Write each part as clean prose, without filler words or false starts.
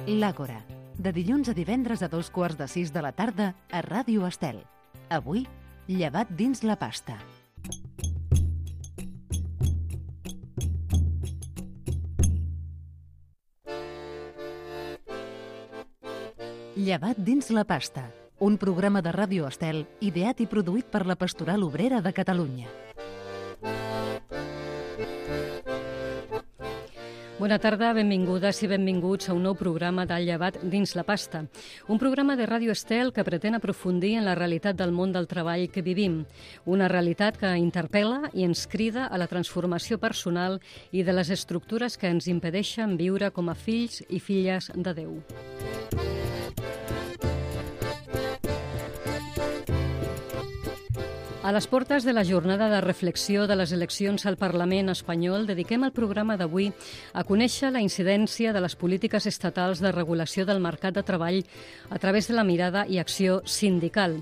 L'Àgora, de dilluns a divendres a 2:15 de la tarda a Ràdio Estel. Avui, llevat dins la pasta. Llevat dins la pasta, un programa de Ràdio Estel ideat i produït per la Pastoral Obrera de Catalunya. Bona tarda, benvingudes i benvinguts a un nou programa de Llevat dins la pasta. Un programa de Ràdio Estel que pretén aprofundir en la realitat del món del treball que vivim. Una realitat que interpel·la i ens crida a la transformació personal i de les estructures que ens impedeixen viure com a fills i filles de Déu. A les portes de la jornada de reflexió de les eleccions al Parlament espanyol, dediquem el programa d'avui a conèixer la incidència de les polítiques estatals de regulació del mercat de treball a través de la mirada i acció sindical.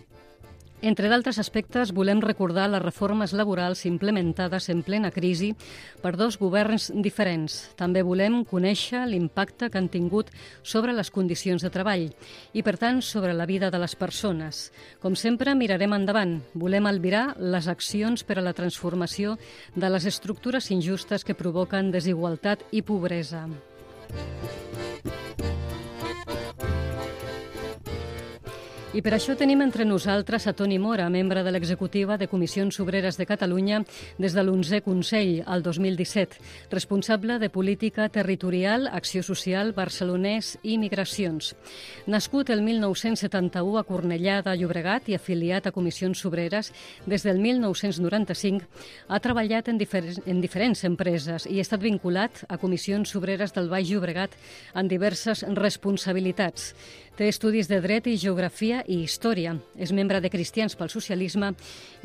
Entre d'altres aspectes, volem recordar les reformes laborals implementades en plena crisi per dos governs diferents. També volem conèixer l'impacte que han tingut sobre les condicions de treball i, per tant, sobre la vida de les persones. Com sempre, mirarem endavant. Volem albirar les accions per a la transformació de les estructures injustes que provoquen desigualtat i pobresa. I per això tenim entre nosaltres a Toni Mora, membre de l'executiva de Comissions Obreres de Catalunya des de l'11è Consell, al 2017, responsable de Política Territorial, Acció Social, Barcelonès i Migracions. Nascut el 1971 a Cornellà de Llobregat i afiliat a Comissions Obreres des del 1995, ha treballat en diferents empreses i ha estat vinculat a Comissions Obreres del Baix Llobregat en diverses responsabilitats. Té estudis de Dret i Geografia i Història. És membre de Cristians pel Socialisme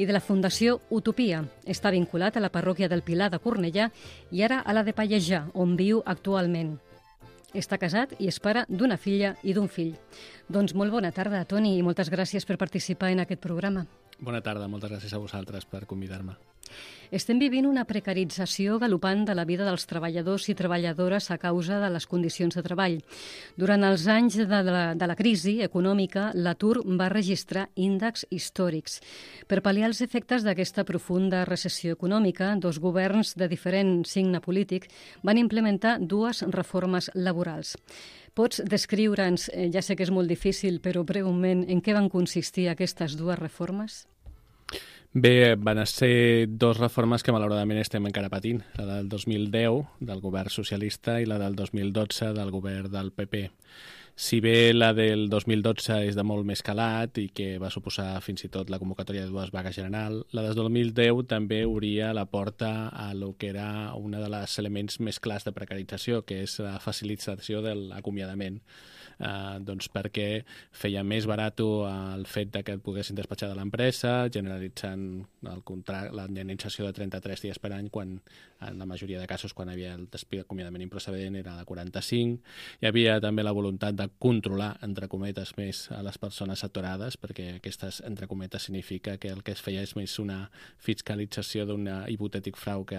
i de la Fundació Utopia. Està vinculat a la parròquia del Pilar de Cornellà i ara a la de Pallejà, on viu actualment. Està casat i és pare d'una filla i d'un fill. Doncs molt bona tarda, Toni, i moltes gràcies per participar en aquest programa. Bona tarda, moltes gràcies a vosaltres per convidar-me. Estem vivint una precarització galopant de la vida dels treballadors i treballadores a causa de les condicions de treball. Durant els anys de la crisi econòmica, l'atur va registrar índexs històrics. Per pal·liar els efectes d'aquesta profunda recessió econòmica, dos governs de diferent signe polític van implementar dues reformes laborals. Pots descriure'ns, ja sé que és molt difícil, però breument, en què van consistir aquestes dues reformes? Bé, van ser dues reformes que malauradament estem encara patint, la del 2010 del govern socialista i la del 2012 del govern del PP. Si bé la del 2012 és de molt més calat i que va suposar fins i tot la convocatòria de dues vagues general, la del 2010 també obria la porta a lo que era un dels elements més clars de precarització, que és la facilitació de l'acomiadament. Doncs perquè feia més barat el fet de que et poguessin despatxar de l'empresa, generalitzant la indemnització de 33 dies per any, quan en la majoria de casos, quan hi havia el acomiadament improcedent, era de 45. Hi havia també la voluntat de controlar, entre cometes, més a les persones aturades, perquè aquestes, entre cometes, significa que el que es feia és més una fiscalització d'un hipotètic frau que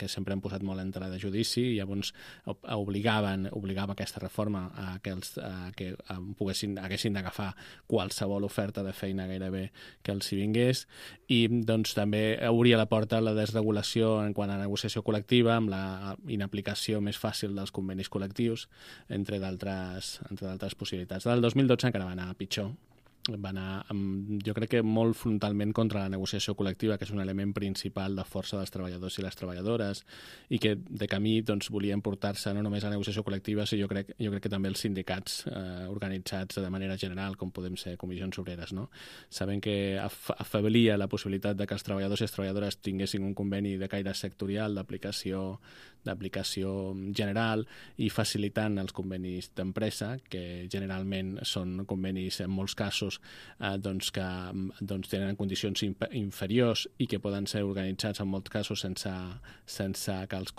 sempre han posat molt en tela de judici, i llavors obligava aquesta reforma a que haguessin d'agafar qualsevol oferta de feina gairebé que els hi vingués, i doncs també obria la porta a la desregulació en quant a negociació col·lectiva, amb la inaplicació més fàcil dels convenis col·lectius, entre d'altres possibilitats. Del 2012 encara va anar pitjor. Va anar, jo crec que molt frontalment contra la negociació col·lectiva, que és un element principal de força dels treballadors i les treballadores, i que de camí doncs, volien portar-se no només a la negociació col·lectiva, sinó jo crec que també els sindicats organitzats de manera general, com podem ser comissions obreres, no? Saben que afeblia la possibilitat de que els treballadors i les treballadores tinguessin un conveni de caire sectorial d'aplicació general, i facilitant els convenis d'empresa, que generalment són convenis en molts casos que tenen condicions inferiors i que poden ser organitzats en molts casos sense que els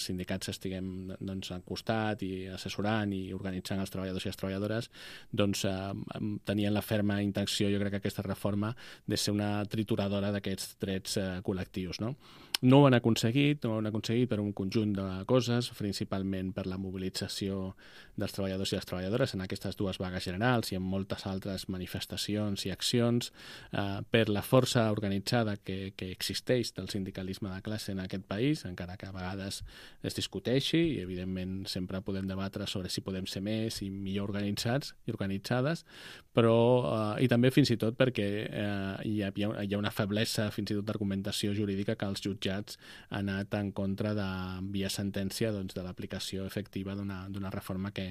sindicats estiguem al costat i assessorant i organitzant els treballadors i les treballadores. Tenien la ferma intenció, jo crec, que aquesta reforma de ser una trituradora d'aquests drets col·lectius, no? No ho han aconseguit per un conjunt de coses, principalment per la mobilització dels treballadors i les treballadores en aquestes dues vagues generals i en moltes altres manifestacions i accions, per la força organitzada que existeix del sindicalisme de classe en aquest país, encara que a vegades es discuteixi i evidentment sempre podem debatre sobre si podem ser més i millor organitzats i organitzades, però i també fins i tot perquè hi ha una feblesa fins i tot d'argumentació jurídica que els jutjats han anat en contra de via sentència de l'aplicació efectiva d'una reforma que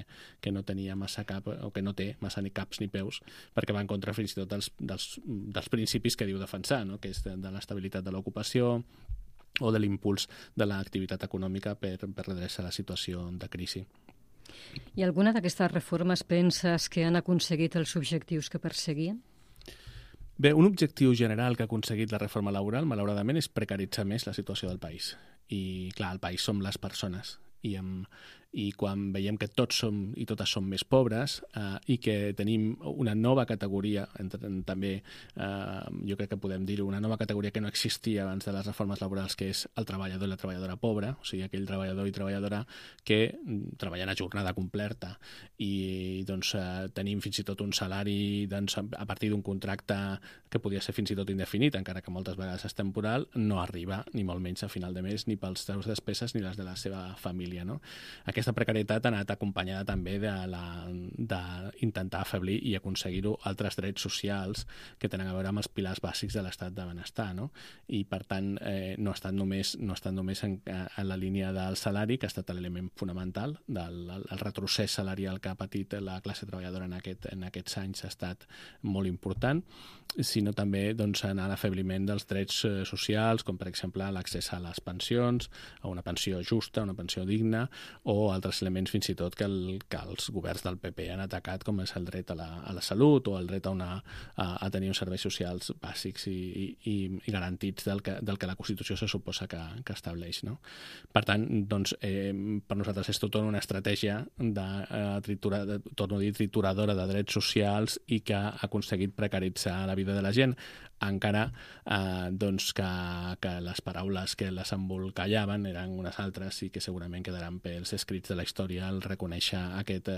no tenia massa cap o que no té massa ni caps ni peus, perquè va en contra fins i tot dels principis que diu defensar, no? Que és de l'estabilitat de l'ocupació o de l'impuls de l'activitat econòmica per redreçar la situació de crisi. I alguna d'aquestes reformes penses que han aconseguit els objectius que perseguien? Bé, un objectiu general que ha aconseguit la reforma laboral, malauradament, és precaritzar més la situació del país. I, clar, el país som les persones. I quan veiem que tots som i totes som més pobres i que tenim una nova categoria, també jo crec que podem dir-ho, una nova categoria que no existia abans de les reformes laborals, que és el treballador i la treballadora pobra, o sigui, aquell treballador i treballadora que treballen a jornada completa i doncs tenim fins i tot un salari a partir d'un contracte que podia ser fins i tot indefinit, encara que moltes vegades és temporal, no arriba ni molt menys a final de mes ni pels seus despeses ni les de la seva família, no? Aquesta precarietat ha anat acompanyada també d'intentar afeblir i aconseguir-ho altres drets socials que tenen a veure amb els pilars bàsics de l'estat de benestar, no? I per tant no estan només en la línia del salari, que ha estat l'element fonamental el retrocés salarial que ha patit la classe treballadora en aquests anys ha estat molt important, sinó també en l'afebliment dels drets socials, com per exemple l'accés a les pensions, a una pensió justa, una pensió digna, o altres elements fins i tot que els governs del PP han atacat, com és el dret a la salut o el dret a tenir uns serveis socials bàsics i garantits del que la Constitució se suposa que estableix, no? Per tant, per nosaltres és tota una estratègia trituradora de drets socials i que ha aconseguit precaritzar la vida de la gent, encara que les paraules que les embolcallaven eren unes altres i que segurament quedaran pels escrits de la història al reconèixer aquest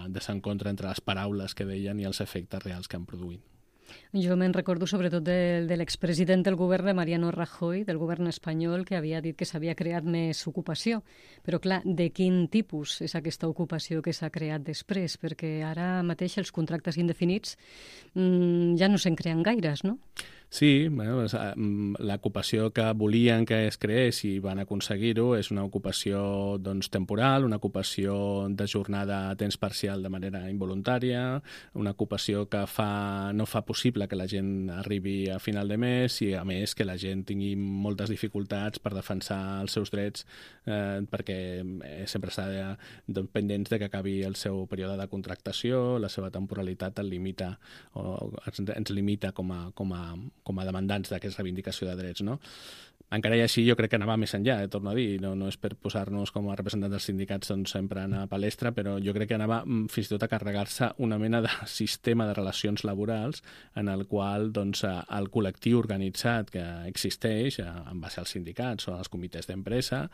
desencontre entre les paraules que deien i els efectes reals que han produït. Jo me'n recordo sobretot de l'expresident del govern de Mariano Rajoy, del govern espanyol, que havia dit que s'havia creat més ocupació. Però, clar, de quin tipus és aquesta ocupació que s'ha creat després? Perquè ara mateix els contractes indefinits ja no se'n creen gaires, no? Sí, bueno, l'ocupació que volien que es creés i van aconseguir-ho és una ocupació temporal, una ocupació de jornada a temps parcial de manera involuntària, una ocupació que no fa possible que la gent arribi a final de mes i, a més, que la gent tingui moltes dificultats per defensar els seus drets perquè sempre està pendents de que acabi el seu període de contractació, la seva temporalitat ens limita com a demandants d'aquesta reivindicació de drets, no? Encara i així jo crec que anava més enllà, torno a dir, no és per posar-nos com a representants dels sindicats sempre a palestra, però jo crec que anava fins i tot a carregar-se una mena de sistema de relacions laborals en el qual el col·lectiu organitzat que existeix en base als sindicats o als comitès d'empresa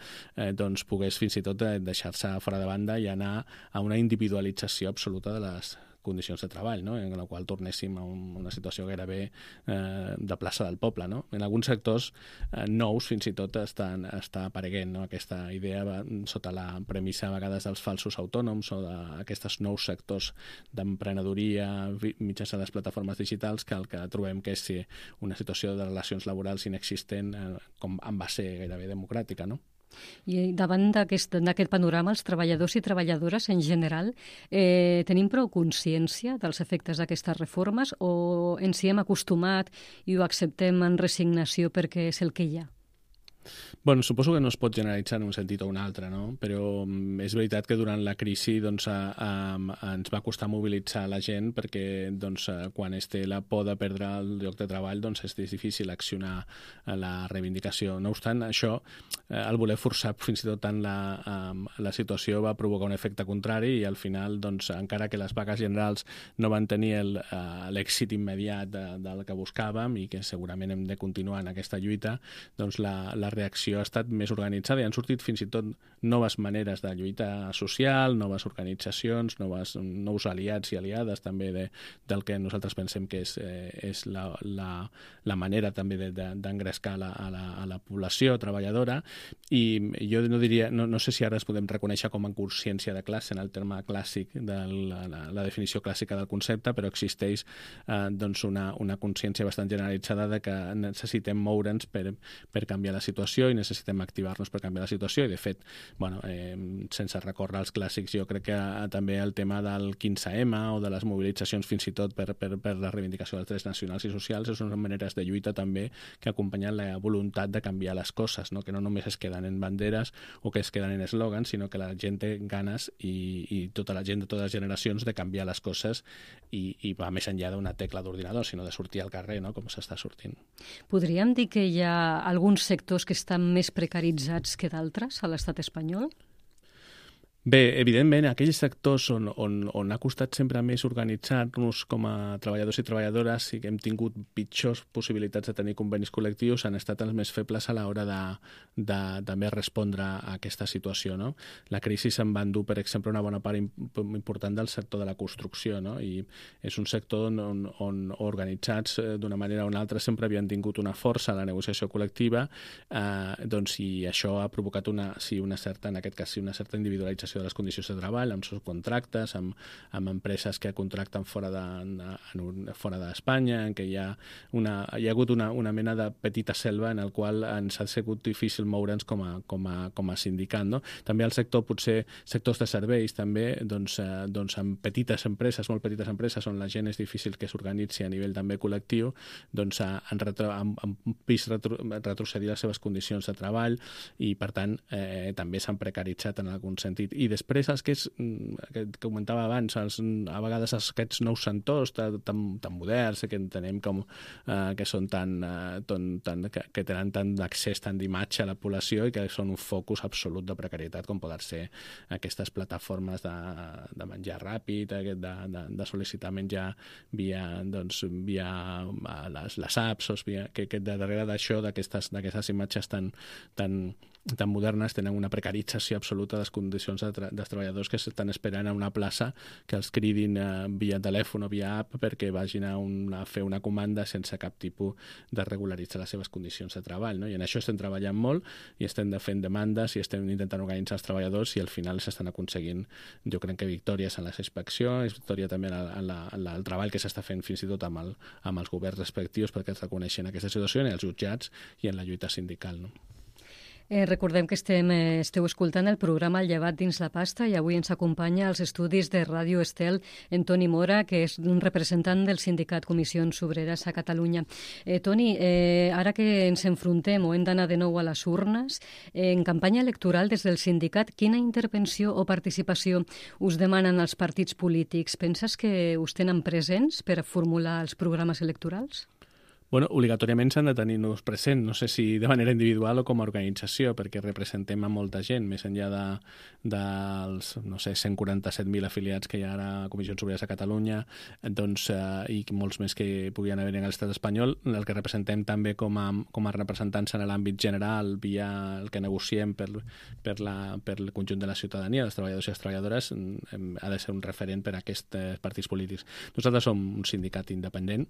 pogués fins i tot deixar-se fora de banda i anar a una individualització absoluta de les condicions de treball, no? En la qual tornéssim a una situació gairebé de plaça del poble, no? En alguns sectors nous fins i tot està apareguent, no? Aquesta idea sota la premissa a vegades dels falsos autònoms o d'aquests nous sectors d'emprenedoria mitjançant les plataformes digitals que el que trobem que és una situació de relacions laborals inexistent com en base gairebé democràtica, no? I davant d'aquest panorama, els treballadors i treballadores en general tenim prou consciència dels efectes d'aquestes reformes o ens hi hem acostumat i ho acceptem en resignació perquè és el que hi ha? Bueno, suposo que no es pot generalitzar en un sentit o un altre, no? Però és veritat que durant la crisi ens va costar mobilitzar la gent perquè quan es té la por de perdre el lloc de treball és difícil accionar la reivindicació. No obstant, això, el voler forçar fins i tot tant la situació va provocar un efecte contrari i al final, encara que les vagues generals no van tenir l'èxit immediat del que buscàvem i que segurament hem de continuar en aquesta lluita, la reacció ha estat més organitzada i han sortit fins i tot noves maneres de lluita social, noves organitzacions, nous aliats i aliades també del que nosaltres pensem que és la manera també d'engrescar a la població treballadora, i jo no sé si ara es podem reconèixer com a consciència de classe en el terme clàssic de la definició clàssica del concepte, però existeix doncs una consciència bastant generalitzada de que necessitem moure'ns per canviar la situació i necessitem activar-nos per canviar la situació, i de fet, sense recórrer als clàssics, jo crec que també el tema del 15M o de les mobilitzacions fins i tot per la reivindicació dels drets nacionals i socials són maneres de lluita també que acompanyen la voluntat de canviar les coses, no? Que no només es queden en banderes o que es queden en eslògans, sinó que la gent té ganes i tota la gent de totes les generacions de canviar les coses i va més enllà d'una tecla d'ordinador, sinó de sortir al carrer, no? Com s'està sortint. Podríem dir que hi ha alguns sectors que estan més precaritzats que d'altres a l'estat espanyol? Bé, evidentment, aquells sectors on ha costat sempre més organitzar-nos com a treballadors i treballadores i que hem tingut pitjors possibilitats de tenir convenis col·lectius han estat els més febles a l'hora de també respondre a aquesta situació, no? La crisi se'n va endur, per exemple, una bona part important del sector de la construcció, no? I és un sector on organitzats d'una manera o una altra sempre havien tingut una força a la negociació col·lectiva, doncs, i això ha provocat una certa individualització de les condicions de treball, amb subcontractes, amb empreses que contracten fora d'Espanya, en què hi ha hagut una mena de petita selva en el qual ens ha sigut difícil moure'ns com a sindicat, no? També el sector, potser sectors de serveis, també, doncs amb petites empreses, molt petites empreses, on la gent és difícil que s'organitzi a nivell també col·lectiu, doncs han vist retrocedir les seves condicions de treball i, per tant, també s'han precaritzat en algun sentit. I després els que comentava abans, a vegades aquests nous sectors tan moderns que entenem com que són que tenen tant d'accés, tant d'imatge a la població i que són un focus absolut de precarietat, com poden ser aquestes plataformes de menjar ràpid, de sol·licitar menjar via les apps, que darrere d'això, d'aquestes imatges tan modernes, tenen una precarització absoluta de les condicions dels treballadors que estan esperant a una plaça que els cridin via telèfon o via app perquè vagin a fer una comanda sense cap tipus de regularitzar les seves condicions de treball, no? I en això estem treballant molt i estem fent demandes i estem intentant organitzar els treballadors i al final s'estan aconseguint, jo crec que victòries en les inspeccions, victòria també en el treball que s'està fent fins i tot amb els governs respectius perquè es reconeixen aquesta situació, en els jutjats i en la lluita sindical, no? Recordem que esteu escoltant el programa El llevat dins la pasta i avui ens acompanya als estudis de Ràdio Estel en Toni Mora, que és un representant del sindicat Comissions Obreres a Catalunya. Toni, ara que ens enfrontem o hem d'anar de nou a les urnes, en campanya electoral des del sindicat, quina intervenció o participació us demanen els partits polítics? Penses que us tenen presents per formular els programes electorals? Bueno, obligatòriament s'han de tenir-nos present, no sé si de manera individual o com a organització, perquè representem a molta gent, més enllà dels, 147.000 afiliats que hi ha ara a Comissions Obreres a Catalunya, doncs, i molts més que puguin haver en l'estat espanyol, el que representem també com a representants en l'àmbit general, via el que negociem per el conjunt de la ciutadania, dels treballadors i les treballadores, ha de ser un referent per a aquests partits polítics. Nosaltres som un sindicat independent,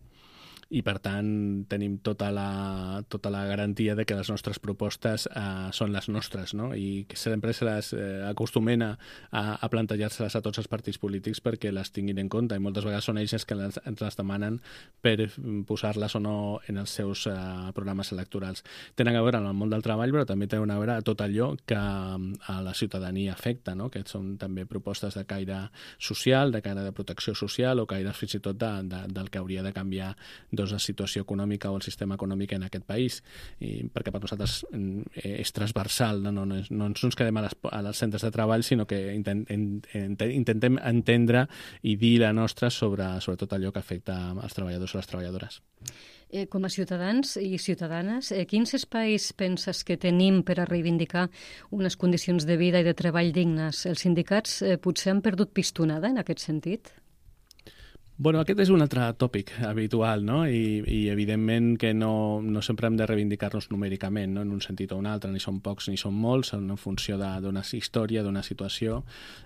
i per tant tenim tota la garantia de que les nostres propostes són les nostres, no? I que sempre se les acostumen a plantejar-se-les a tots els partits polítics perquè les tinguin en compte, i moltes vegades són ells que ens les demanen per posar-les o no en els seus programes electorals. Tenen a veure amb el món del treball, però també tenen a veure tot allò que a la ciutadania afecta, no? Que són també propostes de caire social, de caire de protecció social o caire fins i tot del que hauria de canviar la situació econòmica o el sistema econòmic en aquest país, perquè per nosaltres és transversal, no ens quedem als centres de treball, sinó que intentem entendre i dir la nostra sobre tot allò que afecta als treballadors o les treballadores. Com a ciutadans i ciutadanes, quins espais penses que tenim per a reivindicar unes condicions de vida i de treball dignes? Els sindicats potser han perdut pistonada en aquest sentit? Bueno, aquest és un altre tòpic habitual, no? I evidentment que no sempre hem de reivindicar-nos numèricament, no? En un sentit o un altre, ni són pocs ni són molts, en funció d'una història, d'una situació.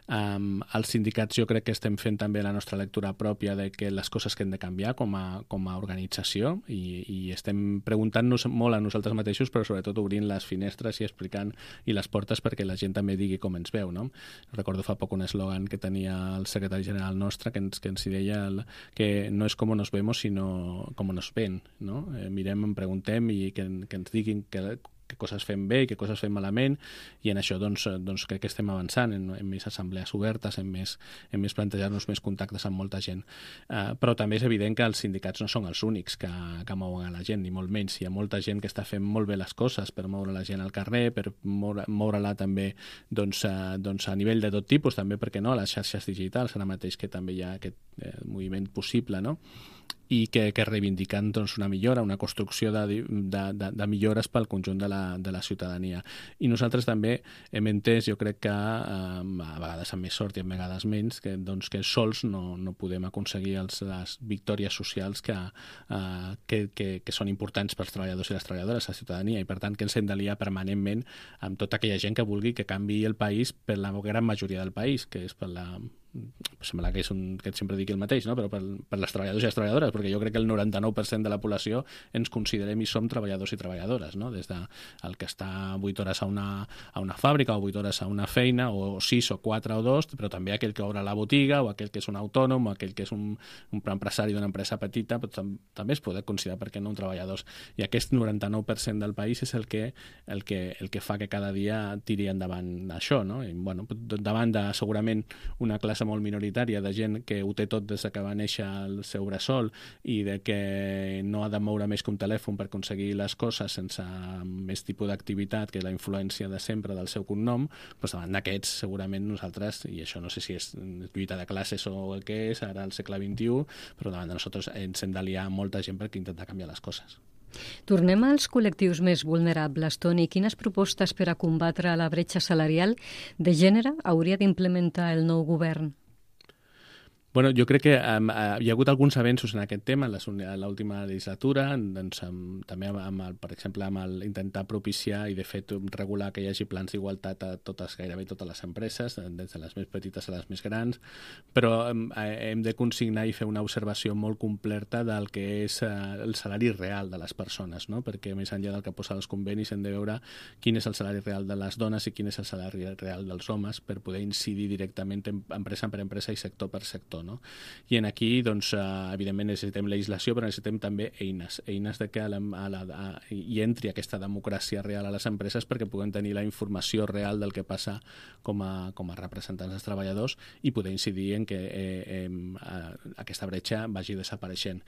Els sindicats jo crec que estem fent també la nostra lectura pròpia de que les coses que hem de canviar com a organització i estem preguntant-nos molt a nosaltres mateixos, però sobretot obrint les finestres i explicant i les portes perquè la gent també digui com ens veu, no? Recordo fa poc un eslògan que tenia el secretari general nostre que ens hi deia que no és com nos vemos, sinó com nos ven, no? Mirem, em preguntem i que ens diguin què coses fem bé i què coses fem malament, i en això doncs crec que estem avançant en més assemblees obertes, en més plantejar-nos més contactes amb molta gent. Però també és evident que els sindicats no són els únics que mouen a la gent, ni molt menys. Hi ha molta gent que està fent molt bé les coses per moure la gent al carrer, per moure-la també a nivell de tot tipus, també, perquè no, a les xarxes digitals, ara mateix que també hi ha aquest moviment possible, no? I que reivindiquen una millora, una construcció de millores pel conjunt de la ciutadania. I nosaltres també hem entès, jo crec que a vegades amb més sort i a vegades menys, que sols no podem aconseguir les victòries socials que són importants pels treballadors i les treballadores, la ciutadania, i per tant que ens hem d'aliar permanentment amb tota aquella gent que vulgui que canviï el país per la gran majoria del país, que és per la... sembla que sempre dic el mateix, no? Però per les treballadors i les treballadores, perquè jo crec que el 99% de la població ens considerem i som treballadors i treballadores, no? Des del que està 8 hores a una fàbrica o 8 hores a una feina, o 6 o 4 o 2, però també aquell que obre la botiga, o aquell que és un autònom, o aquell que és un empresari d'una empresa petita, però també es pot considerar, per què no, un treballador. I aquest 99% del país és el que fa que cada dia tiri endavant això, no? I, bueno, davant de segurament una classe molt minoritària de gent que ho té tot des que va néixer el seu bressol i de que no ha de moure més que un telèfon per aconseguir les coses sense més tipus d'activitat que la influència de sempre del seu cognom, doncs davant d'aquests segurament nosaltres, i això no sé si és lluita de classes o el que és ara al segle XXI, però davant de nosaltres ens hem d'aliar amb molta gent per intentar canviar les coses. Tornem als col·lectius més vulnerables, Toni. Quines propostes per a combatre la bretxa salarial de gènere hauria d'implementar el nou govern? Bueno, jo crec que hi ha hagut alguns avenços en aquest tema en l'última legislatura, també per exemple amb intentar propiciar i de fet regular que hi hagi plans d'igualtat a gairebé totes les empreses, des de les més petites a les més grans, però hem de consignar i fer una observació molt completa del que és el salari real de les persones, no? Perquè més enllà del que posa els convenis hem de veure quin és el salari real de les dones i quin és el salari real dels homes per poder incidir directament empresa per empresa i sector per sector. No? I en aquí, evidentment, necessitem legislació, però necessitem també eines de que hi entri aquesta democràcia real a les empreses perquè puguem tenir la informació real del que passa com a representants dels treballadors i poder incidir en que aquesta bretxa vagi desapareixent.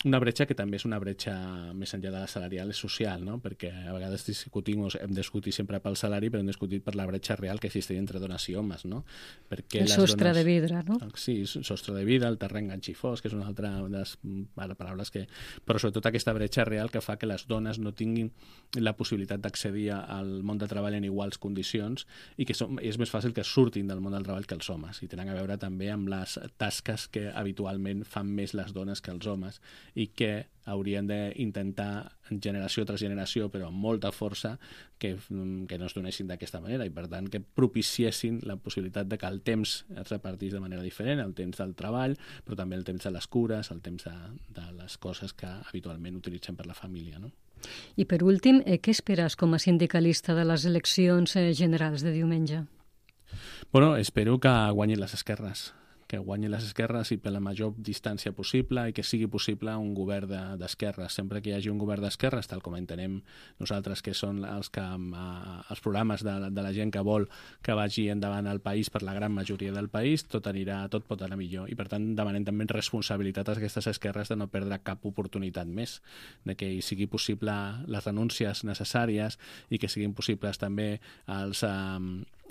Una bretxa que també és una bretxa més enllà de la salarial, és social, no? Perquè a vegades hem discutit sempre pel salari, però hem discutit per la bretxa real que existeix entre dones i homes, no? Perquè el sostre de vidre, no? Sí, sostre de vida, el terreny ganxifós, que és una altra de les paraules que... Però sobretot aquesta bretxa real que fa que les dones no tinguin la possibilitat d'accedir al món del treball en iguals condicions i que és més fàcil que surtin del món del treball que els homes, i tenen a veure també amb les tasques que habitualment fan més les dones que els homes i que haurien d'intentar generació tras generació, però amb molta força, que no es donessin d'aquesta manera i per tant que propiciessin la possibilitat de que el temps es repartís de manera diferent, el temps del treball, però també el temps de les cures, el temps de les coses que habitualment utilitzem per la família, no? I per últim, què esperes com a sindicalista de les eleccions generals de diumenge? Bueno, espero que guanyin les esquerres, que guanyin les esquerres i per la major distància possible i que sigui possible un govern d'esquerres. Sempre que hi hagi un govern d'esquerres, tal com entenem nosaltres que són els programes de la gent que vol que vagi endavant el país per la gran majoria del país, tot pot anar millor. I per tant demanem també responsabilitat a aquestes esquerres de no perdre cap oportunitat més, de que hi sigui possible les renúncies necessàries i que siguin possibles també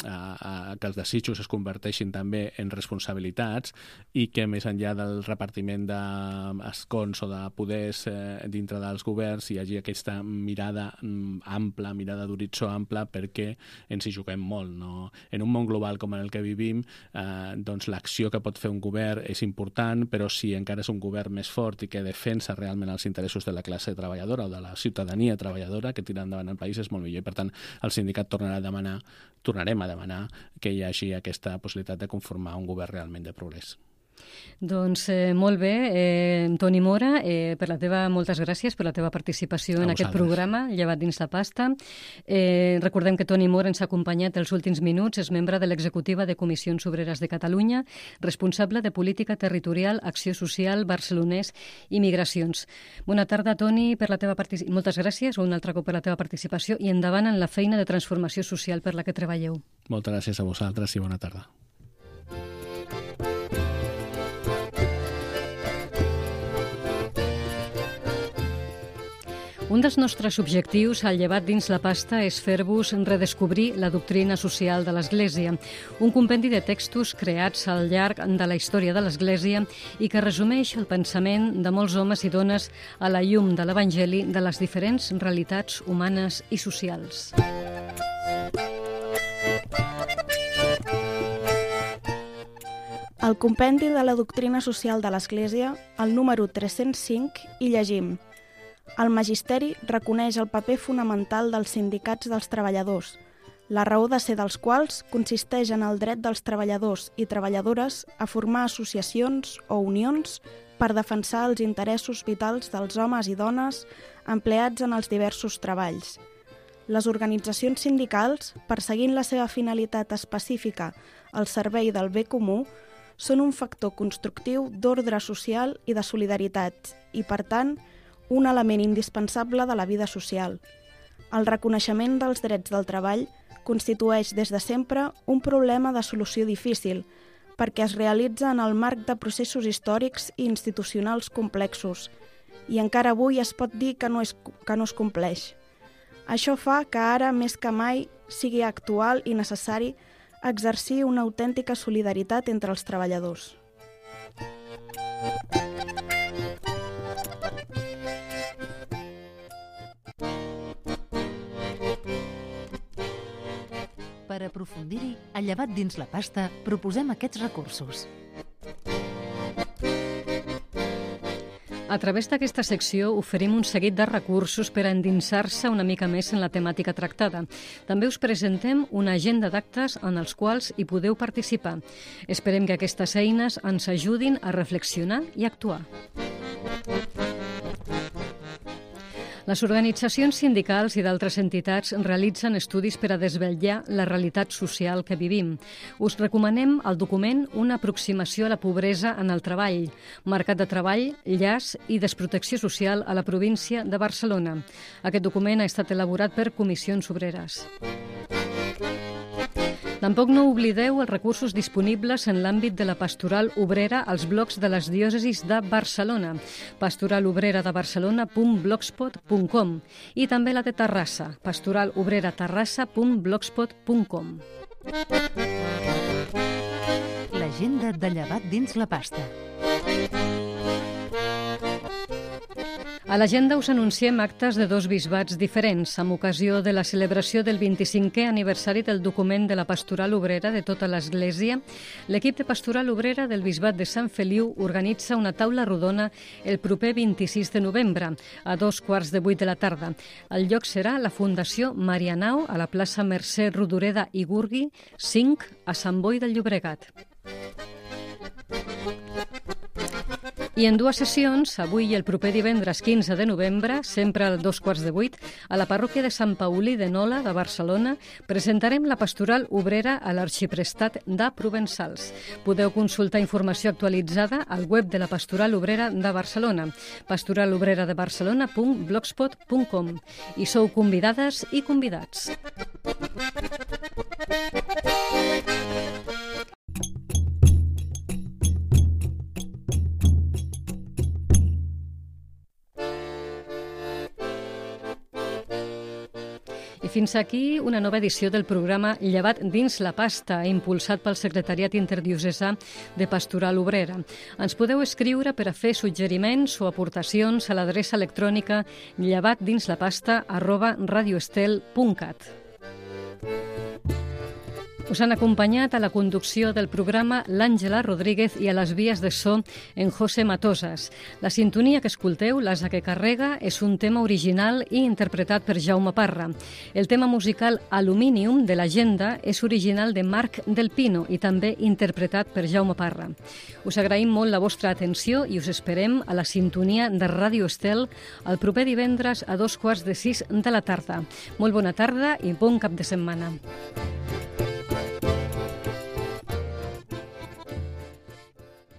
que els desitjos es converteixin també en responsabilitats i que més enllà del repartiment d'escons o de poders dintre dels governs hi hagi aquesta mirada ampla, mirada d'horitzó ampla, perquè ens hi juguem molt, no? En un món global com en el que vivim, doncs l'acció que pot fer un govern és important, però si encara és un govern més fort i que defensa realment els interessos de la classe treballadora o de la ciutadania treballadora que tira endavant el país, és molt millor. I per tant el sindicat tornarem a demanar que hi hagi aquesta possibilitat de conformar un govern realment de progrés. Doncs molt bé, Toni Mora, moltes gràcies per la teva participació en aquest programa, Llevat dins la pasta. Recordem que Toni Mora ens ha acompanyat els últims minuts, és membre de l'executiva de Comissions Obreres de Catalunya, responsable de Política Territorial, Acció Social, Barcelonès i Migracions. Bona tarda, Toni, moltes gràcies un altre cop per la teva participació i endavant en la feina de transformació social per la que treballeu. Moltes gràcies a vosaltres i bona tarda. Un dels nostres objectius al Llevat dins la pasta és fer-vos redescobrir la doctrina social de l'Església, un compendi de textos creats al llarg de la història de l'Església i que resumeix el pensament de molts homes i dones a la llum de l'Evangeli de les diferents realitats humanes i socials. Al compendi de la doctrina social de l'Església, al número 305, hi llegim: el magisteri reconeix el paper fonamental dels sindicats dels treballadors, la raó de ser dels quals consisteix en el dret dels treballadors i treballadores a formar associacions o unions per defensar els interessos vitals dels homes i dones empleats en els diversos treballs. Les organitzacions sindicals, perseguint la seva finalitat específica al servei del bé comú, són un factor constructiu d'ordre social i de solidaritat i, per tant, un element indispensable de la vida social. El reconeixement dels drets del treball constitueix des de sempre un problema de solució difícil, perquè es realitza en el marc de processos històrics i institucionals complexos, i encara avui es pot dir que no es compleix. Això fa que ara, més que mai, sigui actual i necessari exercir una autèntica solidaritat entre els treballadors. Per aprofundir-hi, a Llevat dins la pasta proposem aquests recursos. A través d'aquesta secció oferim un seguit de recursos per a endinsar-se una mica més en la temàtica tractada. També us presentem una agenda d'actes en els quals hi podeu participar. Esperem que aquestes eines ens ajudin a reflexionar i actuar. Les organitzacions sindicals i d'altres entitats realitzen estudis per a desvetllar la realitat social que vivim. Us recomanem el document Una aproximació a la pobresa en el treball, mercat de treball, llars i desprotecció social a la província de Barcelona. Aquest document ha estat elaborat per Comissions Obreres. Tampoc no oblideu els recursos disponibles en l'àmbit de la pastoral obrera als blocs de les diòcesis de Barcelona, pastoralobreradebarcelona.blogspot.com i també la de Terrassa, pastoralobreraterrassa.blogspot.com. L'agenda de Llevat dins la pasta. A l'agenda us anunciem actes de dos bisbats diferents amb ocasió de la celebració del 25è aniversari del document de la Pastoral Obrera de tota l'Església. L'equip de Pastoral Obrera del Bisbat de Sant Feliu organitza una taula rodona el proper 26 de novembre a 7:15 de la tarda. El lloc serà la Fundació Marianao a la plaça Mercè Rodoreda i Gurgui, 5, a Sant Boi del Llobregat. I en dues sessions, avui i el proper divendres 15 de novembre, sempre a 7:15, a la parròquia de Sant Paulí de Nola, de Barcelona, presentarem la pastoral obrera a l'Arxiprestat de Provençals. Podeu consultar informació actualitzada al web de la Pastoral Obrera de Barcelona, pastoralobreradebarcelona.blogspot.com. I sou convidades i convidats. fins aquí una nova edició del programa Llevat dins la pasta, impulsat pel Secretariat Interdiocesà de Pastoral Obrera. Ens podeu escriure per a fer suggeriments o aportacions a l'adreça electrònica llevatdinslapasta@radioestel.cat. Us han acompanyat a la conducció del programa l'Àngela Rodríguez i a les vies de so en José Matosas. La sintonia que escolteu, l'Asa que carrega, és un tema original i interpretat per Jaume Parra. El tema musical Aluminium de l'Agenda és original de Marc Del Pino i també interpretat per Jaume Parra. Us agraïm molt la vostra atenció i us esperem a la sintonia de Ràdio Estel el proper divendres a 5:15 de la tarda. Molt bona tarda i bon cap de setmana.